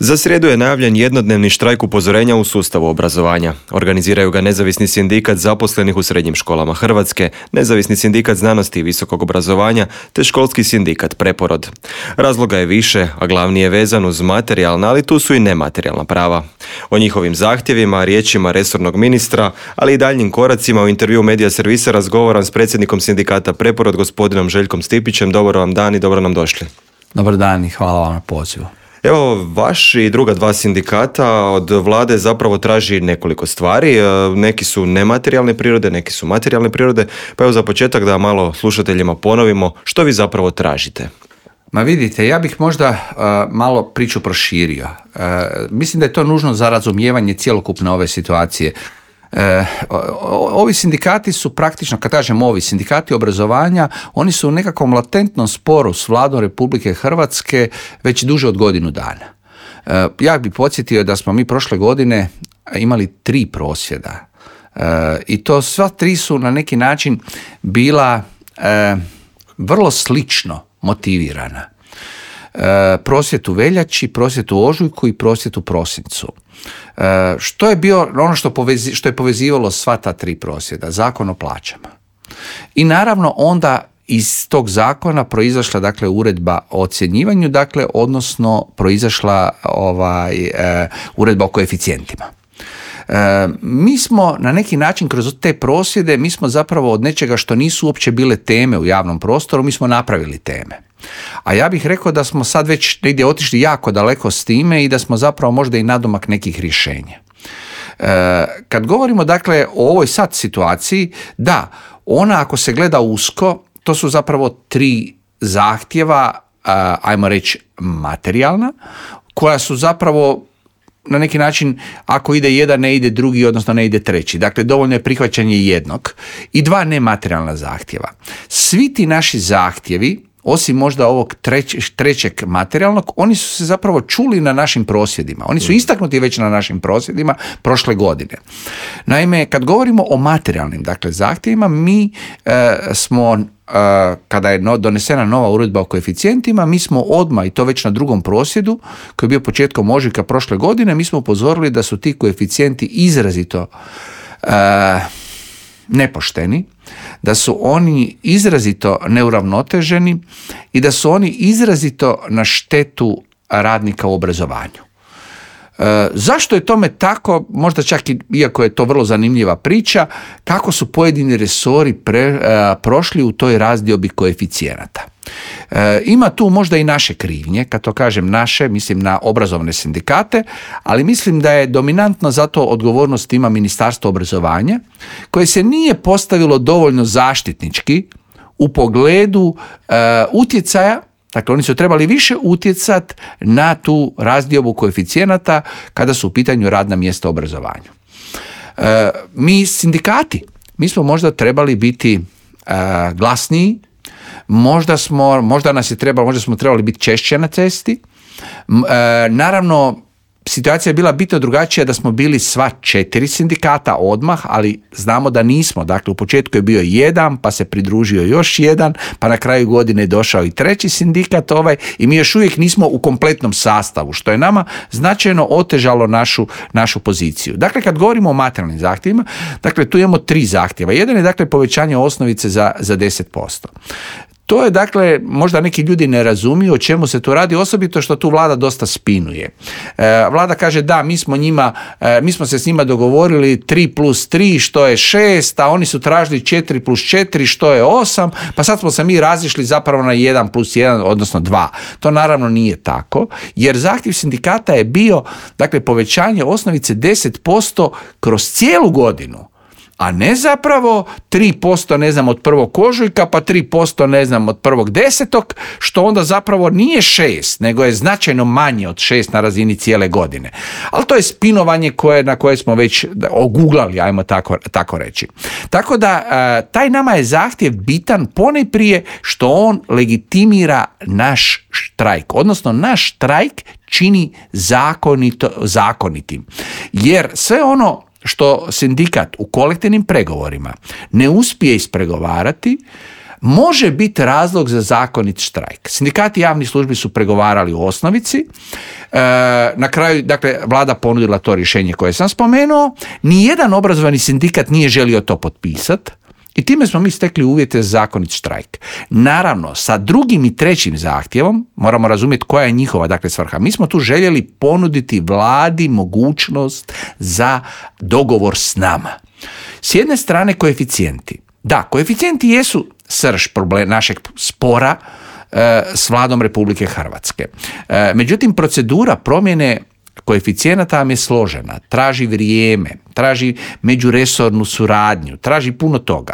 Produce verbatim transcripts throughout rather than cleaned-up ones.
Za srijedu je najavljen jednodnevni štrajk upozorenja u sustavu obrazovanja. Organiziraju ga Nezavisni sindikat zaposlenih u srednjim školama Hrvatske, Nezavisni sindikat znanosti i visokog obrazovanja te Školski sindikat Preporod. Razloga je više, a glavni je vezan uz materijalna, ali tu su i nematerijalna prava. O njihovim zahtjevima, riječima resornog ministra, ali i daljnjim koracima u intervju Medija servisa razgovaram s predsjednikom sindikata Preporod, gospodinom Željkom Stipićem. Dobar vam dan i dobro nam došli. Dobar dan i hvala vam na pozivu. Evo, vaš i druga dva sindikata od vlade zapravo traži nekoliko stvari. Neki su nematerijalne prirode, neki su materijalne prirode. Pa evo za početak da malo slušateljima ponovimo što vi zapravo tražite. Ma vidite, ja bih možda uh, malo priču proširio. Uh, mislim da je to nužno za razumijevanje cjelokupne ove situacije. E, ovi sindikati su praktično, kad kažem ovi sindikati obrazovanja, oni su u nekakvom latentnom sporu s Vladom Republike Hrvatske već duže od godinu dana. E, ja bih podsjetio da smo mi prošle godine imali tri prosvjeda e, i to sva tri su na neki način bila e, vrlo slično motivirana. E, prosvjed u veljači, prosvjed u ožujku i prosvjed u prosincu. E, što je bio ono što, povezi, što je povezivalo sva ta tri prosvjeda? Zakon o plaćama. I naravno onda iz tog zakona proizašla dakle uredba o ocjenjivanju, dakle odnosno proizašla ovaj, e, uredba o koeficijentima. E, mi smo na neki način kroz te prosvjede, mi smo zapravo od nečega što nisu uopće bile teme u javnom prostoru, mi smo napravili teme. A ja bih rekao da smo sad već negdje otišli jako daleko s time i da smo zapravo možda i nadomak nekih rješenja. E, kad govorimo dakle o ovoj sad situaciji, da, ona ako se gleda usko, to su zapravo tri zahtjeva, a, ajmo reći materijalna, koja su zapravo na neki način, ako ide jedan, ne ide drugi, odnosno ne ide treći. Dakle, dovoljno je prihvaćanje jednog i dva nematerijalna zahtjeva. Svi ti naši zahtjevi, osim možda ovog treć, trećeg materijalnog, oni su se zapravo čuli na našim prosvjedima. Oni su istaknuti već na našim prosvjedima prošle godine. Naime, kad govorimo o materijalnim dakle, zahtjevima, mi e, smo, e, kada je no, donesena nova uredba o koeficijentima, mi smo odmah, i to već na drugom prosvjedu, koji je bio početkom ožujka prošle godine, mi smo upozorili da su ti koeficijenti izrazito e, nepošteni, da su oni izrazito neuravnoteženi i da su oni izrazito na štetu radnika u obrazovanju. E, zašto je tome tako? Možda čak i, iako je to vrlo zanimljiva priča, kako su pojedini resori pre, e, prošli u toj razdiobi koeficijenata. E, ima tu možda i naše krivnje, kad to kažem naše, mislim na obrazovne sindikate, ali mislim da je dominantno zato odgovornost ima Ministarstvo obrazovanja, koje se nije postavilo dovoljno zaštitnički u pogledu e, utjecaja. Dakle, oni su trebali više utjecati na tu razdiobu koeficijenata kada su u pitanju radna mjesta u obrazovanju. E, mi sindikati, mi smo možda trebali biti e, glasniji, možda smo, možda nas je trebalo, možda smo trebali biti češće na cesti. E, naravno, situacija je bila bitno drugačija da smo bili sva četiri sindikata odmah, ali znamo da nismo. Dakle, u početku je bio jedan, pa se pridružio još jedan, pa na kraju godine je došao i treći sindikat ovaj i mi još uvijek nismo u kompletnom sastavu, što je nama značajno otežalo našu, našu poziciju. Dakle, kad govorimo o materijalnim zahtjevima, dakle, tu imamo tri zahtjeva. Jedan je, dakle, povećanje osnovice za, za deset posto. To je, dakle, možda neki ljudi ne razumiju o čemu se tu radi, osobito što tu vlada dosta spinuje. E, vlada kaže da, mi smo njima, e, mi smo se s njima dogovorili tri plus tri što je šest, a oni su tražili četiri plus četiri što je osam, pa sad smo se mi razišli zapravo na jedan plus jedan, odnosno dva. To naravno nije tako, jer zahtjev sindikata je bio, dakle, povećanje osnovice deset posto kroz cijelu godinu. A ne zapravo tri posto ne znam od prvog ožujka pa tri posto ne znam od prvog desetog, što onda zapravo nije šest, nego je značajno manje od šest na razini cijele godine. Ali to je spinovanje koje, na koje smo već oguglali, ajmo tako, tako reći. Tako da taj nama je zahtjev bitan ponajprije što on legitimira naš štrajk, odnosno naš štrajk čini zakonito, zakonitim. Jer sve ono što sindikat u kolektivnim pregovorima ne uspije ispregovarati, može biti razlog za zakonit štrajk. Sindikati javnih službi su pregovarali u osnovici, e, na kraju, dakle, vlada ponudila to rješenje koje sam spomenuo, nijedan obrazovani sindikat nije želio to potpisati, i time smo mi stekli uvjete za zakonit štrajk. Naravno, sa drugim i trećim zahtjevom, moramo razumjeti koja je njihova, dakle, svrha. Mi smo tu željeli ponuditi vladi mogućnost za dogovor s nama. S jedne strane koeficijenti. Da, koeficijenti jesu srž problem našeg spora e, s vladom Republike Hrvatske. E, međutim, procedura promjene koeficijenata vam je složena, traži vrijeme, traži međuresornu suradnju, traži puno toga.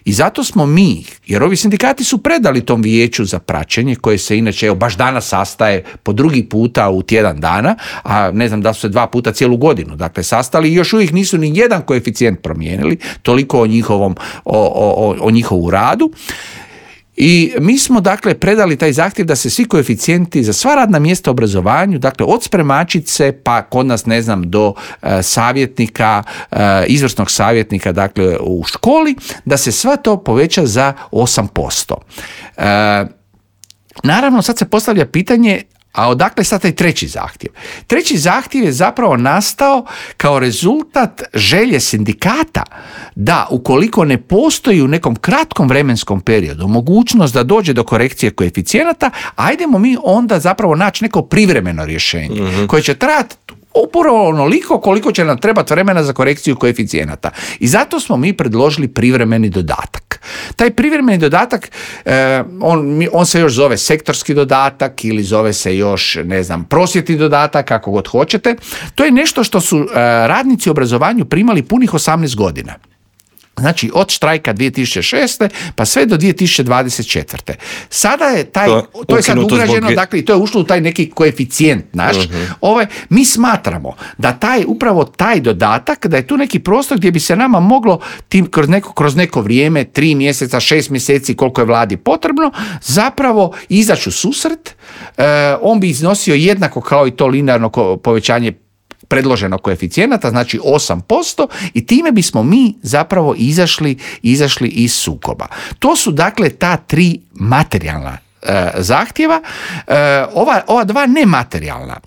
I zato smo mi, jer ovi sindikati su predali tom vijeću za praćenje, koje se inače evo, baš danas sastaje po drugi puta u tjedan dana, a ne znam da su se dva puta cijelu godinu, dakle, sastali i još uvijek nisu ni jedan koeficijent promijenili, toliko o njihovom, o, o, o njihovu radu. I mi smo, dakle, predali taj zahtjev da se svi koeficijenti za sva radna mjesta u obrazovanju, dakle, od spremačice pa kod nas, ne znam, do e, savjetnika, e, izvrsnog savjetnika, dakle, u školi, da se sve to poveća za osam posto. E, naravno, sad se postavlja pitanje, a odakle sad taj treći zahtjev? Treći zahtjev je zapravo nastao kao rezultat želje sindikata da ukoliko ne postoji u nekom kratkom vremenskom periodu mogućnost da dođe do korekcije koeficijenata, ajdemo mi onda zapravo naći neko privremeno rješenje mm-hmm. koje će trajati upravo onoliko koliko će nam trebati vremena za korekciju koeficijenata. I zato smo mi predložili privremeni dodatak. Taj privremeni dodatak, eh, on, on se još zove sektorski dodatak ili zove se još, ne znam, prosvjetni dodatak, kako god hoćete. To je nešto što su eh, radnici u obrazovanju primali punih osamnaest godina. Znači, od štrajka dvije tisuće šeste pa sve do dvije tisuće dvadeset četvrte. Sada je taj, to, to je sad ugrađeno, zbog... dakle, to je ušlo u taj neki koeficijent naš. Uh-huh. Ovaj, mi smatramo da taj, upravo taj dodatak, da je tu neki prostor gdje bi se nama moglo tim, kroz, neko, kroz neko vrijeme, tri mjeseca, šest mjeseci, koliko je vladi potrebno, zapravo izaći u susret. E, on bi iznosio jednako kao i to linearno povećanje predloženog koeficijenata, znači osam posto, i time bismo mi zapravo izašli, izašli iz sukoba. To su, dakle, ta tri materijalna e, zahtjeva. E, ova, ova dva nematerijalna,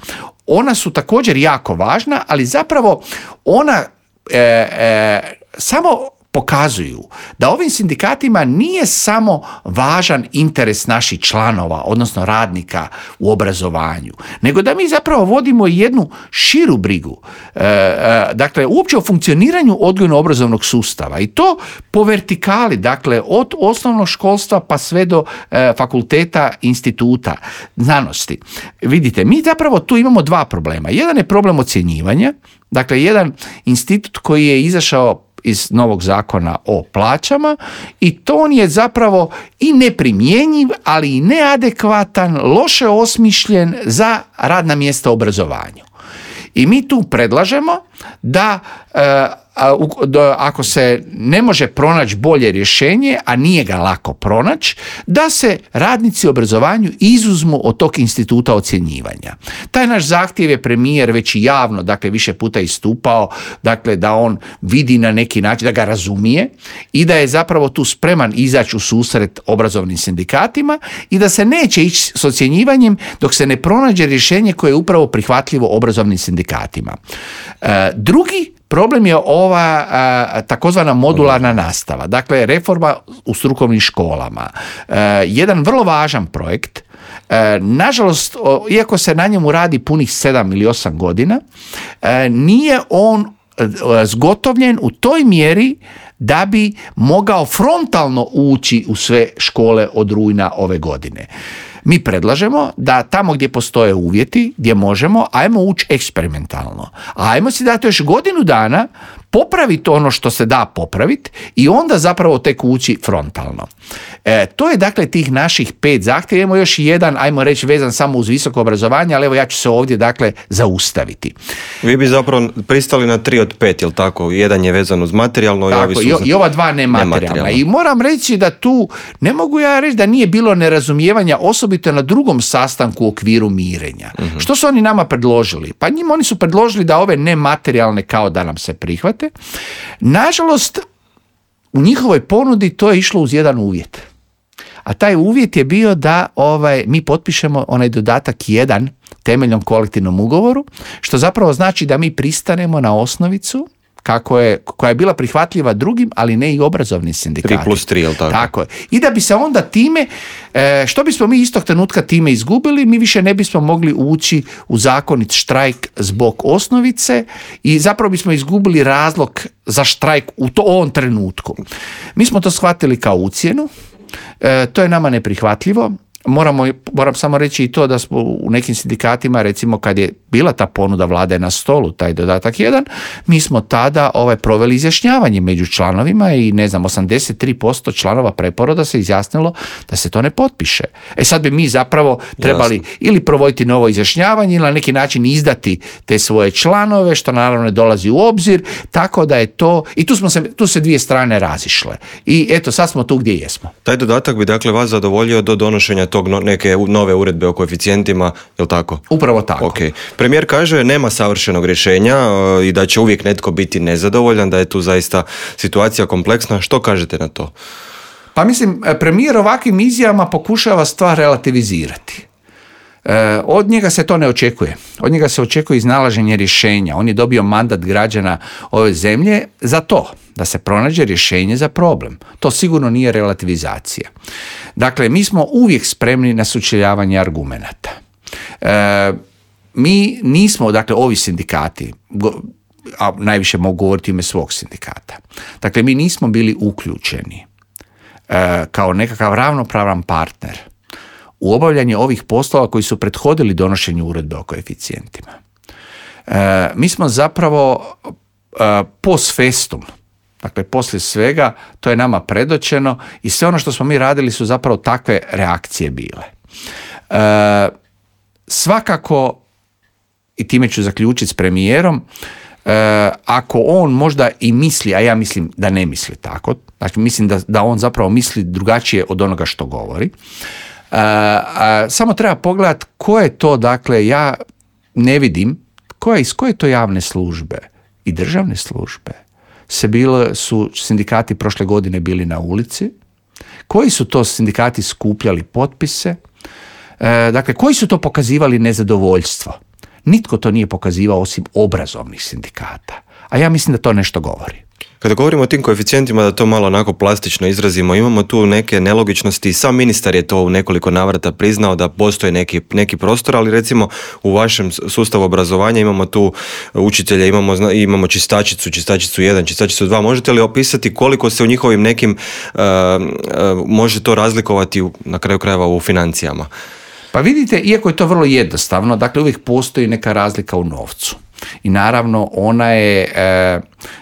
ona su također jako važna, ali zapravo ona e, e, samo pokazuju da ovim sindikatima nije samo važan interes naših članova, odnosno radnika u obrazovanju, nego da mi zapravo vodimo jednu širu brigu, e, e, dakle, uopće o funkcioniranju odgojno-obrazovnog sustava, i to po vertikali, dakle, od osnovnog školstva pa sve do e, fakulteta, instituta, znanosti. Vidite, mi zapravo tu imamo dva problema. Jedan je problem ocjenjivanja, dakle, jedan institut koji je izašao iz novog zakona o plaćama, i to on je zapravo i neprimjenjiv, ali i neadekvatan, loše osmišljen za radna mjesta u obrazovanju. I mi tu predlažemo da ako se ne može pronaći bolje rješenje, a nije ga lako pronaći, da se radnici u obrazovanju izuzmu od tog instituta ocjenjivanja. Taj naš zahtjev je premijer već i javno, dakle, više puta istupao, dakle, da on vidi na neki način, da ga razumije i da je zapravo tu spreman izaći u susret obrazovnim sindikatima i da se neće ići s ocjenjivanjem dok se ne pronađe rješenje koje je upravo prihvatljivo obrazovnim sindikatima. E, drugi problem je ova a, takozvana modularna nastava, dakle, reforma u strukovnim školama. E, jedan vrlo važan projekt. E, nažalost, o, iako se na njemu radi punih sedam ili osam godina, e, nije on e, zgotovljen u toj mjeri da bi mogao frontalno ući u sve škole od rujna ove godine. Mi predlažemo da tamo gdje postoje uvjeti, gdje možemo, ajmo ući eksperimentalno. Ajmo si dati još godinu dana, popraviti ono što se da popraviti i onda zapravo tek ući frontalno. E, to je, dakle, tih naših pet zahtjeva. Imamo još jedan, ajmo reći, vezan samo uz visoko obrazovanje, ali evo ja ću se ovdje, dakle, zaustaviti. Vi bi zapravo pristali na tri od pet, jel tako? Jedan je vezan uz materijalno, tako, i ovi su i, i ova dva nematerijalna. I moram reći da tu, ne mogu ja reći da nije bilo nerazumijevanja, osobito na drugom sastanku u okviru mirenja. Uh-huh. Što su oni nama predložili? Pa njima oni su predložili da ove nematerijalne kao da nam se prihvate. Nažalost, u njihovoj ponudi to je išlo uz jedan uvjet. a taj uvjet je bio da ovaj, mi potpišemo onaj dodatak jedan temeljnom kolektivnom ugovoru, što zapravo znači da mi pristanemo na osnovicu kako je, koja je bila prihvatljiva drugim, ali ne i obrazovnim sindikatima. tri plus tri, je li tako? Tako je. I da bi se onda time, što bismo mi istog trenutka time izgubili, mi više ne bismo mogli ući u zakonit štrajk zbog osnovice i zapravo bismo izgubili razlog za štrajk u to, ovom trenutku. Mi smo to shvatili kao ucjenu, to je nama neprihvatljivo. Moramo, moram samo reći i to da smo u nekim sindikatima, recimo kad je bila ta ponuda Vlade na stolu, taj dodatak jedan, mi smo tada ovaj, proveli izjašnjavanje među članovima i ne znam, osamdeset tri posto članova preporoda se izjasnilo da se to ne potpiše. E sad bi mi zapravo trebali Jasne. ili provoditi novo izjašnjavanje ili na neki način izdati te svoje članove, što naravno ne dolazi u obzir, tako da je to, i tu smo se, tu se dvije strane razišle. I eto, sad smo tu gdje jesmo. Taj dodatak bi dakle vas zadovoljio do donošenja tog no, neke nove uredbe o koeficijentima, je li tako? Upravo tako. Okay. Premijer kaže nema savršenog rješenja i da će uvijek netko biti nezadovoljan, da je tu zaista situacija kompleksna. Što kažete na to? Pa mislim, premijer ovakvim izjavama pokušava stvar relativizirati. E, od njega se to ne očekuje. Od njega se očekuje iznalaženje rješenja. On je dobio mandat građana ove zemlje za to, da se pronađe rješenje za problem. To sigurno nije relativizacija. Dakle, mi smo uvijek spremni na sučeljavanje argumenata. E, mi nismo, dakle, ovi sindikati, a najviše mogu govoriti ime svog sindikata, dakle, mi nismo bili uključeni e, kao nekakav ravnopravan partner u obavljanje ovih poslova koji su prethodili donošenju uredbe o koeficijentima. E, mi smo zapravo e, post festum, dakle poslije svega, to je nama predočeno i sve ono što smo mi radili su zapravo takve reakcije bile. E, svakako, i time ću zaključiti s premijerom, e, ako on možda i misli, a ja mislim da ne misli tako, znači mislim da, da on zapravo misli drugačije od onoga što govori, Uh, uh, samo treba pogledati ko je to, dakle, ja ne vidim, koje, iz koje to javne službe i državne službe se bile, su sindikati prošle godine bili na ulici, koji su to sindikati skupljali potpise, uh, dakle, koji su to pokazivali nezadovoljstvo. Nitko to nije pokazivao osim obrazovnih sindikata, a ja mislim da to nešto govori. Kada govorimo o tim koeficijentima, da to malo onako plastično izrazimo, imamo tu neke nelogičnosti. Sam ministar je to u nekoliko navrata priznao da postoji neki, neki prostor, ali recimo u vašem sustavu obrazovanja imamo tu učitelje, imamo, imamo čistačicu, čistačicu jedan, čistačicu dva. Možete li opisati koliko se u njihovim nekim uh, uh, može to razlikovati u, na kraju krajeva u financijama? Pa vidite, iako je to vrlo jednostavno, dakle uvijek postoji neka razlika u novcu. I naravno ona je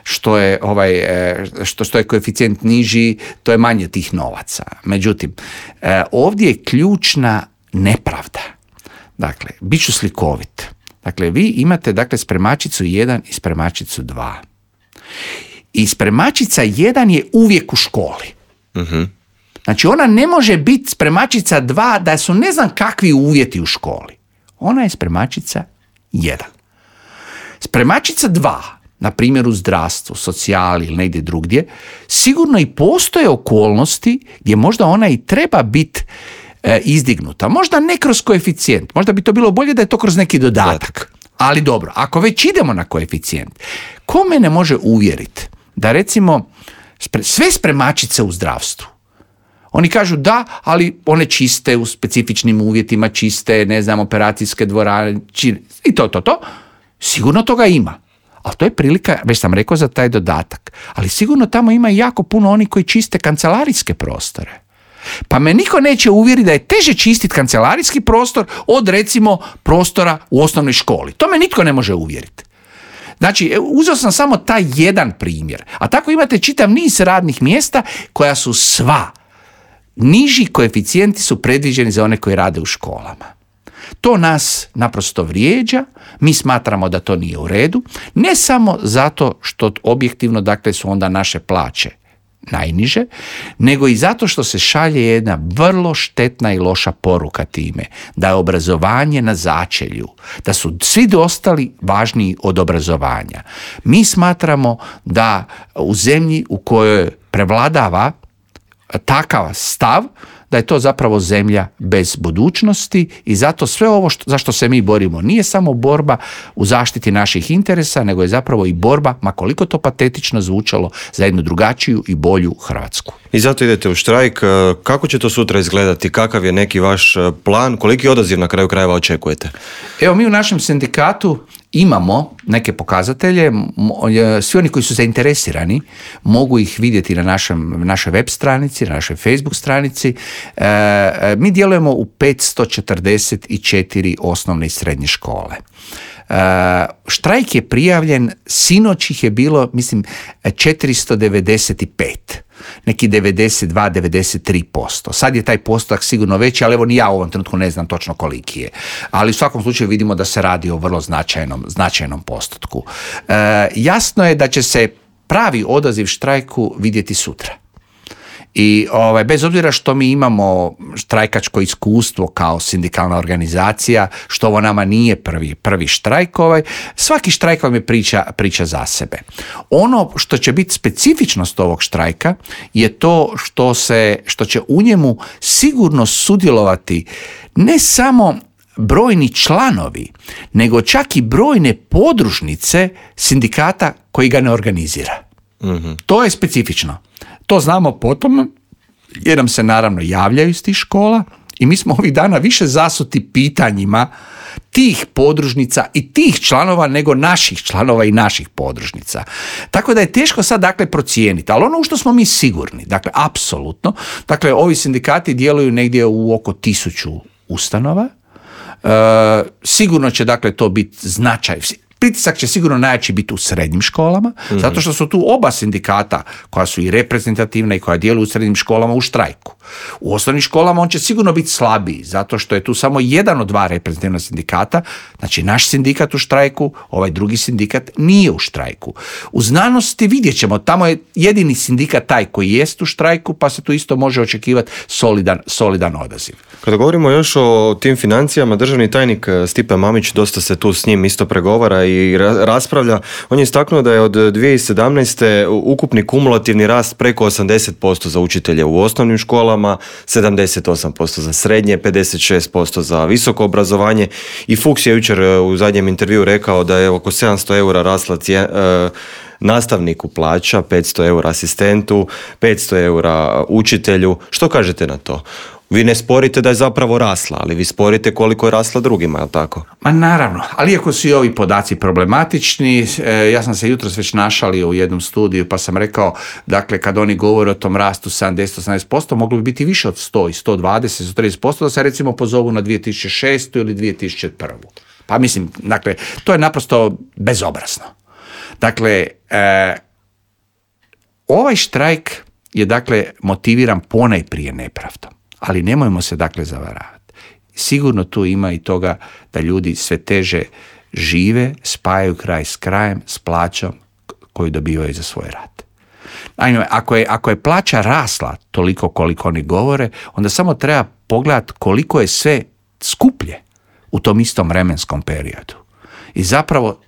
što je ovaj što što je koeficijent niži, to je manje tih novaca. Međutim, ovdje je ključna nepravda. Dakle, bit ću slikovit. Dakle, vi imate dakle spremačicu jedan i spremačicu dva. I spremačica jedan je uvijek u školi. Mhm. Znači, ona ne može biti spremačica dva da su ne znam kakvi uvjeti u školi. Ona je spremačica jedan. Spremačica dva, na primjer u zdravstvu, socijali ili negdje drugdje, sigurno i postoje okolnosti gdje možda ona i treba biti e, izdignuta. Možda ne kroz koeficijent, možda bi to bilo bolje da je to kroz neki dodatak. Ali dobro, ako već idemo na koeficijent, ko mene može uvjeriti da recimo spre, sve spremačice u zdravstvu, oni kažu da, ali one čiste u specifičnim uvjetima, čiste, ne znam, operacijske dvorane, i to, to, to, sigurno toga ima. Ali to je prilika, već sam rekao, za taj dodatak. Ali sigurno tamo ima jako puno onih koji čiste kancelarijske prostore. Pa me niko neće uvjeriti da je teže čistiti kancelarijski prostor od, recimo, prostora u osnovnoj školi. To me nitko ne može uvjeriti. Znači, uzeo sam samo taj jedan primjer. A tako imate čitav niz radnih mjesta koja su sva. Niži koeficijenti su predviđeni za one koji rade u školama. To nas naprosto vrijeđa, mi smatramo da to nije u redu, ne samo zato što objektivno, dakle, su onda naše plaće najniže, nego i zato što se šalje jedna vrlo štetna i loša poruka time, da je obrazovanje na začelju, da su svi ostali važniji od obrazovanja. Mi smatramo da u zemlji u kojoj prevladava takav stav, da je to zapravo zemlja bez budućnosti i zato sve ovo što, za što se mi borimo nije samo borba u zaštiti naših interesa, nego je zapravo i borba, ma koliko to patetično zvučalo, za jednu drugačiju i bolju Hrvatsku. I zato idete u štrajk. Kako će to sutra izgledati? Kakav je neki vaš plan? Koliki odaziv na kraju krajeva očekujete? Evo, mi u našem sindikatu imamo neke pokazatelje, svi oni koji su zainteresirani mogu ih vidjeti na našem, našoj web stranici, na našoj Facebook stranici. E, mi djelujemo u petsto četrdeset četiri osnovne i srednje škole. Uh, štrajk je prijavljen, sinoć ih je bilo, mislim, četiristo devedeset pet, neki devedeset dva do devedeset tri posto. Sad je taj postotak sigurno veći, ali evo ni ja u ovom trenutku ne znam točno koliki je. Ali u svakom slučaju vidimo da se radi o vrlo značajnom, značajnom postotku. Uh, jasno je da će se pravi odaziv štrajku vidjeti sutra. I ovaj, bez obzira što mi imamo štrajkačko iskustvo kao sindikalna organizacija, što ovo nama nije prvi, prvi štrajk, ovaj, svaki štrajk vam je priča, priča za sebe. Ono što će biti specifičnost ovog štrajka je to što, se, što će u njemu sigurno sudjelovati ne samo brojni članovi, nego čak i brojne podružnice sindikata koji ga ne organizira. Mm-hmm. To je specifično. To znamo potom, jer nam se naravno javljaju iz tih škola i mi smo ovih dana više zasuti pitanjima tih podružnica i tih članova nego naših članova i naših podružnica. Tako da je teško sad dakle procijeniti, ali ono u što smo mi sigurni, dakle apsolutno, dakle ovi sindikati djeluju negdje u oko tisuću ustanova, e, sigurno će dakle to biti značaj. Pritisak će sigurno najjači biti u srednjim školama, mm-hmm. zato što su tu oba sindikata koja su i reprezentativna i koja djeluju u srednjim školama u štrajku. U osnovnim školama on će sigurno biti slabiji, zato što je tu samo jedan od dva reprezentativna sindikata, znači naš sindikat u štrajku, ovaj drugi sindikat nije u štrajku. U znanosti vidjet ćemo, tamo je jedini sindikat taj koji jest u štrajku, pa se tu isto može očekivati solidan, solidan odaziv. Kada govorimo još o tim financijama, državni tajnik Stipe Mamić, dosta se tu s njim isto pregovara i raspravlja. On je istaknuo da je od dvije tisuće sedamnaeste. ukupni kumulativni rast preko osamdeset posto za učitelje u osnovnim školama, sedamdeset osam posto za srednje, pedeset šest posto za visoko obrazovanje i Fuchs je jučer u zadnjem intervjuu rekao da je oko sedamsto eura rasla cijen, e, nastavniku plaća, petsto eura asistentu, petsto eura učitelju. Što kažete na to? Vi ne sporite da je zapravo rasla, ali vi sporite koliko je rasla drugima, je li tako? Ma naravno, ali iako su i ovi podaci problematični, ja sam se jutros već našalio u jednom studiju pa sam rekao, dakle, kad oni govore o tom rastu sedamdeset do osamdeset posto, moglo bi biti više od sto i sto dvadeset, sto trideset posto da se recimo pozovu na dvije tisuće šestu ili dvije tisuće prvu. Pa mislim, dakle, to je naprosto bezobrazno. Dakle, e, ovaj štrajk je, dakle, motiviran ponajprije nepravdom. Ali nemojmo se dakle zavaravati. Sigurno tu ima i toga da ljudi sve teže žive, spajaju kraj s krajem, s plaćom koju dobivaju za svoj rad. Naime, ako je, ako je plaća rasla toliko koliko oni govore, onda samo treba pogledati koliko je sve skuplje u tom istom vremenskom periodu. I zapravo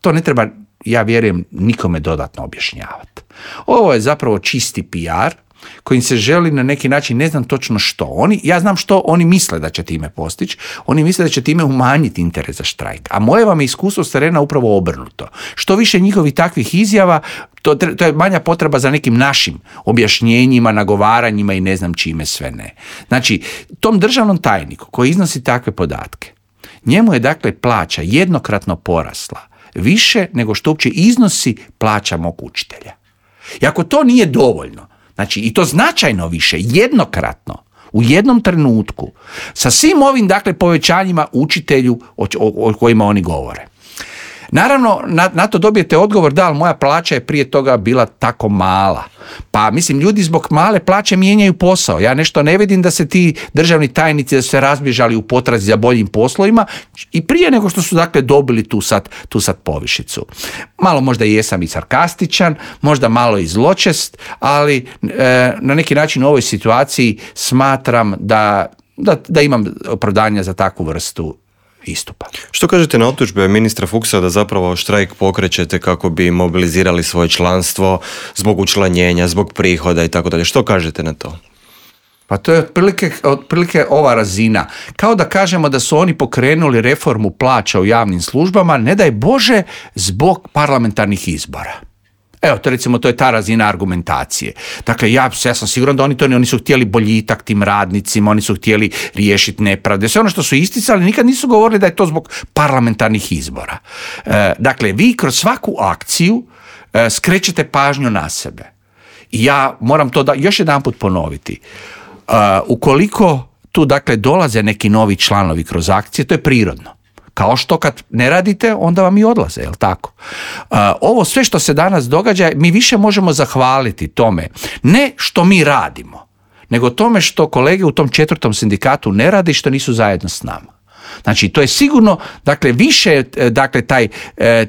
to ne treba, ja vjerujem, nikome dodatno objašnjavati. Ovo je zapravo čisti P R kojim se želi na neki način, ne znam točno što. Oni, ja znam što oni misle da će time postići. Oni misle da će time umanjiti interes za štrajk. A moje vam je iskustvo s terena upravo obrnuto. Što više njihovih takvih izjava, to, to je manja potreba za nekim našim objašnjenjima, nagovaranjima i ne znam čime sve ne. Znači, tom državnom tajniku koji iznosi takve podatke, njemu je dakle plaća jednokratno porasla više nego što uopće iznosi plaća mog učitelja. I ako to nije dovoljno, znači i to značajno više, jednokratno, u jednom trenutku, sa svim ovim dakle povećanjima učitelju o, o, o kojima oni govore. Naravno, na, na to dobijete odgovor, da, ali moja plaća je prije toga bila tako mala. Pa mislim, ljudi zbog male plaće mijenjaju posao. Ja nešto ne vidim da se ti državni tajnici da su se razbježali u potrazi za boljim poslovima i prije nego što su dakle dobili tu sad, tu sad povišicu. Malo možda i jesam i sarkastičan, možda malo i zločest, ali e, na neki način u ovoj situaciji smatram da, da, da imam opravdanja za takvu vrstu istupa. Što kažete na optužbe ministra Fuchsa da zapravo štrajk pokrećete kako bi mobilizirali svoje članstvo zbog učlanjenja, zbog prihoda i tako dalje? Što kažete na to? Pa to je otprilike, otprilike ova razina. Kao da kažemo da su oni pokrenuli reformu plaća u javnim službama, ne daj Bože, zbog parlamentarnih izbora. Evo, to recimo, to je ta razina argumentacije. Dakle, ja, ja sam siguran da oni to ne, oni su htjeli boljitak tim radnicima, oni su htjeli riješiti nepravde. Sve ono što su isticali, nikad nisu govorili da je to zbog parlamentarnih izbora. E, dakle, vi kroz svaku akciju e, skrećete pažnju na sebe. I ja moram to da, još jedan put ponoviti. Uh, ukoliko tu dakle dolaze neki novi članovi kroz akcije, to je prirodno. Kao što kad ne radite, onda vam i odlaze, jel tako? Uh, ovo sve što se danas događa, mi više možemo zahvaliti tome, ne što mi radimo, nego tome što kolege u tom četvrtom sindikatu ne rade i što nisu zajedno s nama. Znači, to je sigurno, dakle, više, dakle, taj,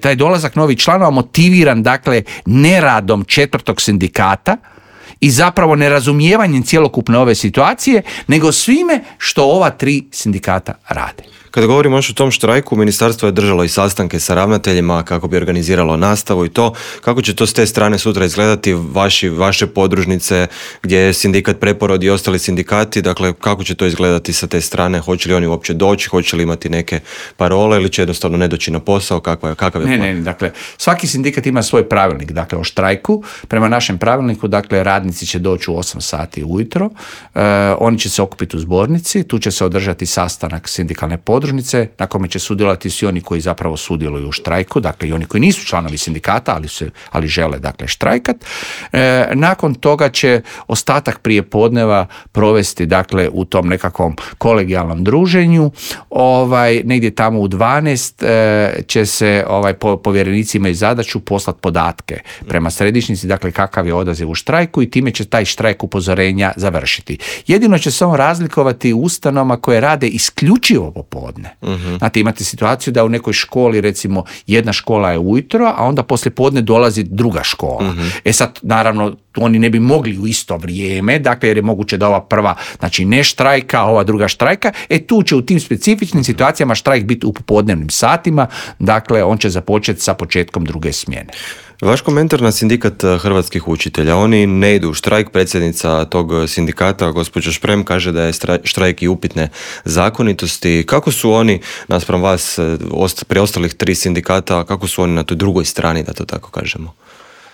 taj dolazak novih članova motiviran, dakle, neradom četvrtog sindikata i zapravo nerazumijevanjem cjelokupne ove situacije, nego svime što ova tri sindikata rade. Kada govorimo još o tom štrajku, ministarstvo je držalo i sastanke sa ravnateljima kako bi organiziralo nastavu i to. Kako će to s te strane sutra izgledati, vaši, vaše podružnice gdje je sindikat Preporod i ostali sindikati, dakle kako će to izgledati sa te strane, hoće li oni uopće doći, hoće li imati neke parole ili će jednostavno ne doći na posao, kakva je, kakav je ne, plan? Ne, dakle, svaki sindikat ima svoj pravilnik, dakle o štrajku. Prema našem pravilniku, dakle, radnici će doći u osam sati ujutro, e, oni će se okupiti u zbornici, tu će se održati sastanak sindikalne podružnice na kome će sudjelovati svi oni koji zapravo sudjeluju u štrajku, dakle i oni koji nisu članovi sindikata, ali, se, ali žele dakle štrajkat. E, nakon toga će ostatak prijepodneva provesti dakle u tom nekakvom kolegijalnom druženju. Ovaj, negdje tamo u dvanaest e, će se ovaj, po, povjerenici imaju zadaću poslati podatke prema središnjici, dakle kakav je odaziv u štrajku i time će taj štrajk upozorenja završiti. Jedino će se on razlikovati u ustanovama koje rade isključivo popodne. Uh-huh. Znate, imate situaciju da u nekoj školi, recimo, jedna škola je ujutro, a onda poslije podne dolazi druga škola. Uh-huh. E sad, naravno, oni ne bi mogli u isto vrijeme, dakle, jer je moguće da ova prva, znači ne štrajka, a ova druga štrajka, e tu će u tim specifičnim situacijama štrajk biti u popodnevnim satima, dakle, on će započeti sa početkom druge smjene. Vaš komentar na sindikat hrvatskih učitelja, oni ne idu u štrajk, predsjednica tog sindikata, gospođa Šprem, kaže da je štrajk i upitne zakonitosti. Kako su oni, naspram vas, preostalih tri sindikata, kako su oni na toj drugoj strani, da to tako kažemo?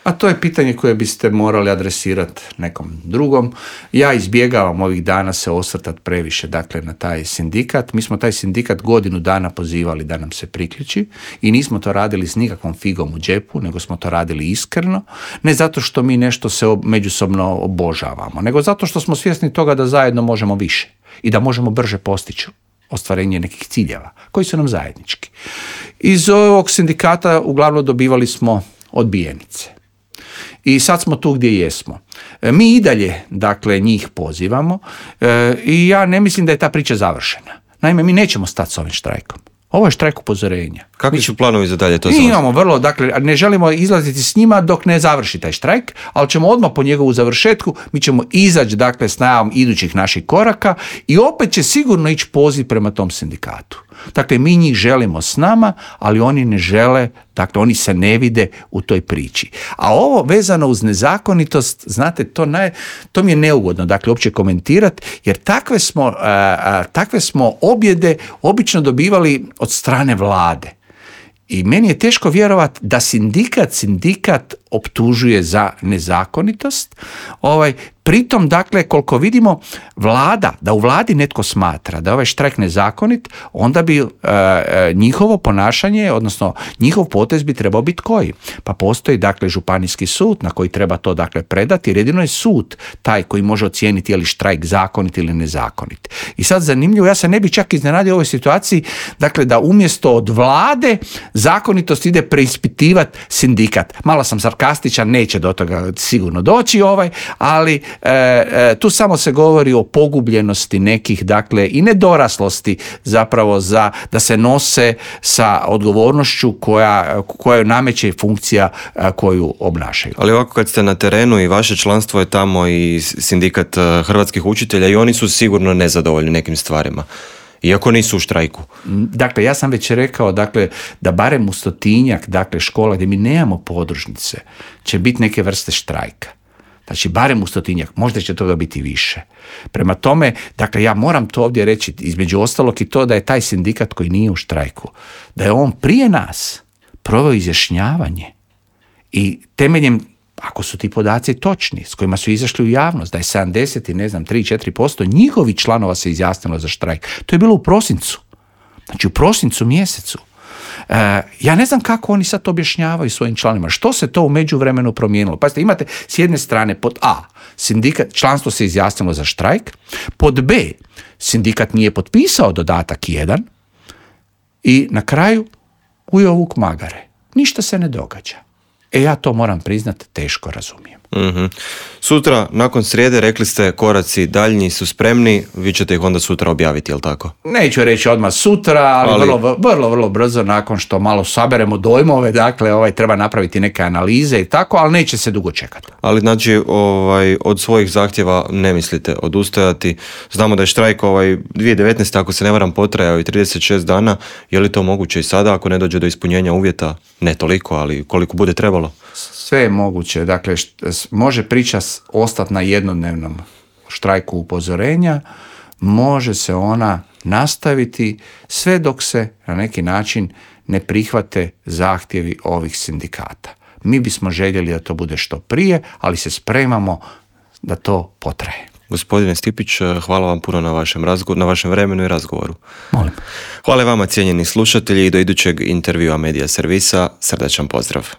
A to je pitanje koje biste morali adresirati nekom drugom. Ja izbjegavam ovih dana se osvrtati previše dakle, na taj sindikat. Mi smo taj sindikat godinu dana pozivali da nam se priključi i nismo to radili s nikakvom figom u džepu, nego smo to radili iskreno. Ne zato što mi nešto se međusobno obožavamo, nego zato što smo svjesni toga da zajedno možemo više i da možemo brže postići ostvarenje nekih ciljeva koji su nam zajednički. Iz ovog sindikata uglavnom dobivali smo odbijenice. I sad smo tu gdje jesmo. Mi i dalje, dakle, njih pozivamo e, i ja ne mislim da je ta priča završena. Naime, mi nećemo stati s ovim štrajkom. Ovo je štrajk upozorenja. Kakvi su planovi za dalje? To mi imamo vrlo, dakle, ne želimo izlaziti s njima dok ne završi taj štrajk, ali ćemo odmah po njegovu završetku, mi ćemo izaći, dakle, s najavom idućih naših koraka i opet će sigurno ići poziv prema tom sindikatu. Dakle, mi njih želimo s nama, ali oni ne žele, dakle, oni se ne vide u toj priči. A ovo vezano uz nezakonitost, znate, to, naj, to mi je neugodno, dakle, uopće komentirati, jer takve smo, a, a, takve smo objede obično dobivali od strane vlade. I meni je teško vjerovati da sindikat, sindikat optužuje za nezakonitost. Ovaj, pritom, dakle, koliko vidimo, vlada, da u vladi netko smatra da je ovaj štrajk nezakonit, onda bi e, njihovo ponašanje, odnosno njihov potez bi trebao biti koji? Pa postoji, dakle, županijski sud na koji treba to, dakle, predati, jer jedino je sud taj koji može ocijeniti je li štrajk zakonit ili nezakonit. I sad zanimljivo, ja se ne bi čak iznenadio u ovoj situaciji, dakle, da umjesto od vlade zakonitost ide preispitivati sindikat. Malo sam sarkastičan, neće do toga sigurno doći ovaj, ali e, e, tu samo se govori o pogubljenosti nekih, dakle, i nedoraslosti zapravo za da se nose sa odgovornošću koja, koja nameće funkcija a, koju obnašaju. Ali ovako kad ste na terenu i vaše članstvo je tamo i sindikat hrvatskih učitelja i oni su sigurno nezadovoljni nekim stvarima. Iako nisu u štrajku. Dakle, ja sam već rekao, dakle, da barem u stotinjak, dakle, škola gdje mi nemamo podružnice, će biti neke vrste štrajka. Znači, barem u stotinjak, možda će toga biti više. Prema tome, dakle, ja moram to ovdje reći, između ostalog i to da je taj sindikat koji nije u štrajku, da je on prije nas proveo izjašnjavanje i temeljem, ako su ti podaci točni, s kojima su izašli u javnost, da je sedamdeset i ne znam, tri do četiri posto njihovih članova se izjasnilo za štrajk. To je bilo u prosincu. Znači, u prosincu mjesecu. E, ja ne znam kako oni sad objašnjavaju svojim članovima. Što se to u međuvremenu promijenilo? Pazite, imate s jedne strane pod A, sindikat, članstvo se izjasnilo za štrajk, pod B, sindikat nije potpisao dodatak jedan i na kraju ujeo vuk magare. Ništa se ne događa. E, ja to moram priznat, teško razumijem. Mm-hmm. Sutra, nakon srijede, rekli ste koraci daljnji su spremni, vi ćete ih onda sutra objaviti, jel tako? Neću reći odmah sutra, ali, ali... Vrlo, vrlo, vrlo brzo, nakon što malo saberemo dojmove, dakle, ovaj, treba napraviti neke analize i tako, ali neće se dugo čekati. Ali znači, ovaj, od svojih zahtjeva ne mislite odustajati. Znamo da je štrajk ovaj, dvije tisuće devetnaeste. ako se ne varam, potrajao i trideset šest dana. Je li to moguće i sada, ako ne dođe do ispunjenja uvjeta? Ne toliko, ali koliko bude trebalo? Sve je moguće. Dakle, št- može priča ostati na jednodnevnom štrajku upozorenja, može se ona nastaviti sve dok se na neki način ne prihvate zahtjevi ovih sindikata. Mi bismo željeli da to bude što prije, ali se spremamo da to potraje. Gospodine Stipić, hvala vam puno na vašem, razgo- na vašem vremenu i razgovoru. Molim. Hvala vama, cijenjeni slušatelji, i do idućeg intervjua Medija Servisa. Srdačan pozdrav.